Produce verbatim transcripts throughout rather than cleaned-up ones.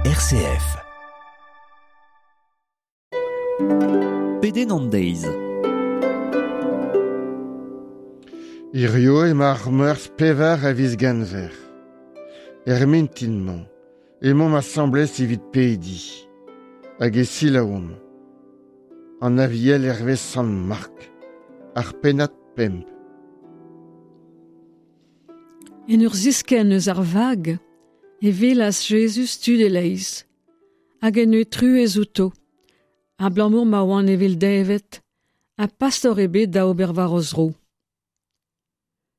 R C F. Pedenn an deiz. Hirio emañ ar meurzh pevar a viz Genver. Er mintin-mañ, emaomp asambles evit pediñ. Hag e selaouomp. An Aviel hervez Sant Mark, ar pennad pemp. En ur ziskenn eus ar vag, e welas Jezuz tud e-leizh, hag en devoe truez outo, abalamour ma oant evel deñved, ha pastor ebet da ober war o zro.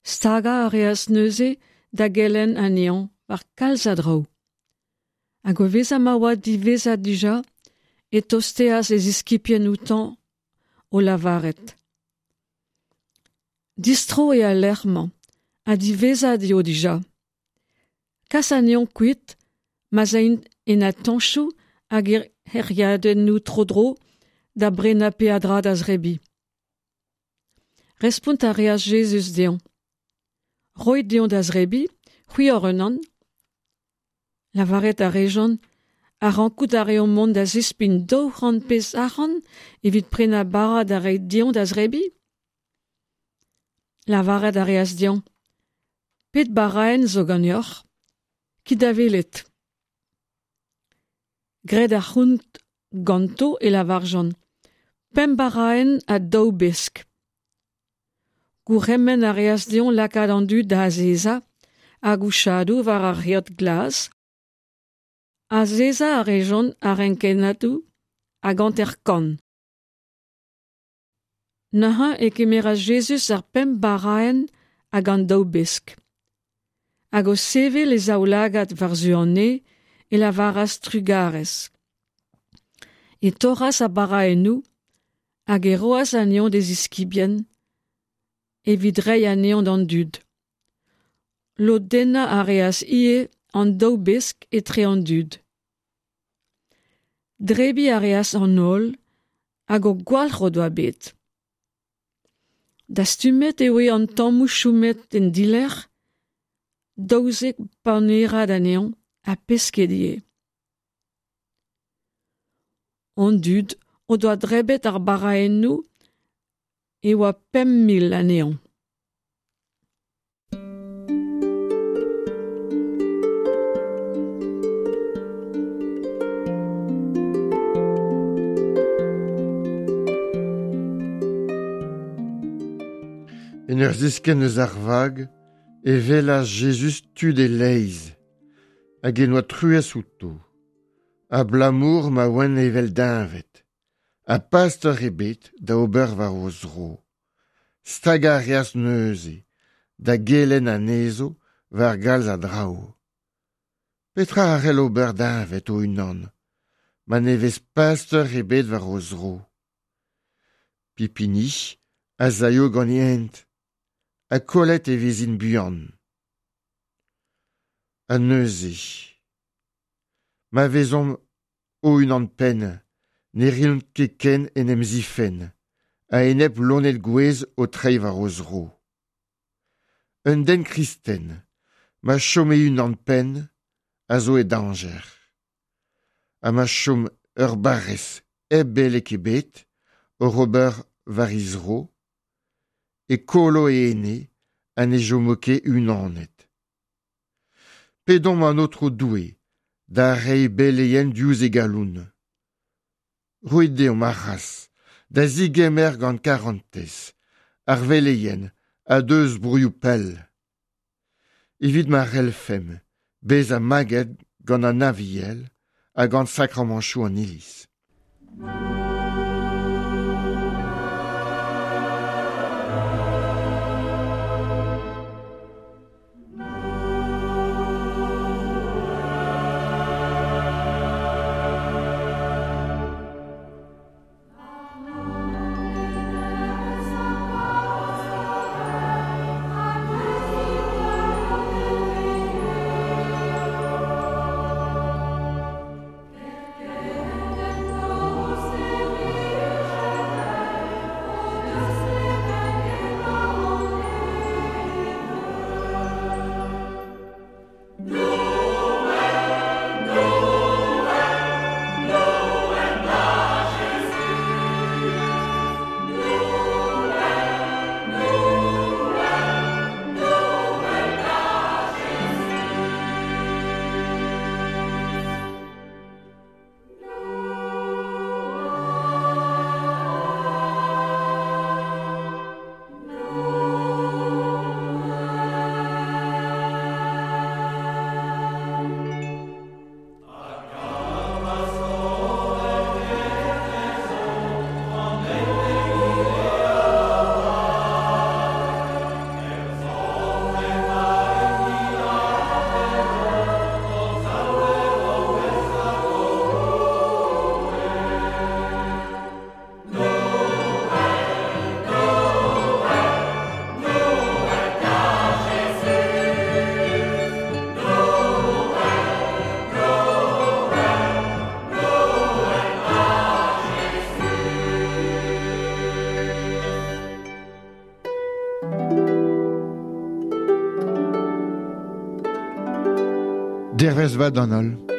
Stagañ a reas neuze da gelenn anezho war kalz a draoù. Hag o vezañ ma oa diwezhat dija, e tostaas e ziskibien outañ o lavaret: Distro eo al lec'h-mañ, ha diwezhat eo dija. Kas anezho kuit, ma'z aint en atantoù hag er c'hêriadennoù tro-dro da brenañ peadra da zebriñ. Respont a reas Jezuz dezhañ: Roit dezho da zebriñ, c'hwi hoc'h-unan. Lavaret a rejont: Ha rankout a reomp mont da zispign daou c'hant pezh arc'hant evit prenañ bara da reiñ dezho da zebriñ ? Lavaret a reas dezho: Pet baraenn zo ganeoc'h ? Kit da welet. Graet ar c'hont ganto e lavarjont: Pemp baraenn ha daou besk. Gourc'hemenn a reas dezho lakaat an dud da azezañ a-gouchadoù war ar geot glas. Azezañ a rejont a-renkennadoù hag hanter-kant. Neuze e kemeras Jezuz ar pemp baraenn hag an daou besk. Hag o sevel e zaoulagad war-zu an neñv e lavaras trugarez. E torras ar baraennoù hag e roas anezho d'e ziskibien evit reiñ anezho d'an dud. Lodennañ a reas ivez an daou besk etre an dud. Debriñ a reas an holl hag o gwalc'h o doa bet. Dastumet e voe an tammoù chomet en dilerc'h, daouzek panerad anezho ha pesked ivez. An dud o doa debret ar baraennoù e oa pemp mil anezho. En ur ziskenn eus ar vag, e welas Jezuz tud e-leizh, hag en doa truez outo, abalamour ma oant evel deñved, ha pastor ebet da ober war o zro. Stagañ a reas neuze da gelenn anezho war galz a draoù. Petra a c'hell ober deñved o-unan, ma ne vez pastor ebet war o zro ? Pep hini az aio gant e hent, ha kollet e vezint buan. Ha neuze, ma vezomp o-unan-penn, ne reont ket ken en em zifenn, a-enep loened gouez o treiñ war o zro. Un den kristen, ma chom e-unan-penn, a zo e dañjer. Ha ma chom ur barrez hep beleg ebet oc'h ober war he zro, e kollo e ene ha ne chomo ket unanet. Pedomp an Aotrou Doue da reiñ beleien diouzh e galon. Roit deomp ar c'hras da zegemer gant karantez ar veleien a deu eus broioù pell. Evit ma c'hellfemp bezañ maget gant an Aviel ha gant sakramantoù an Iliz. Dervez vat d'an holl.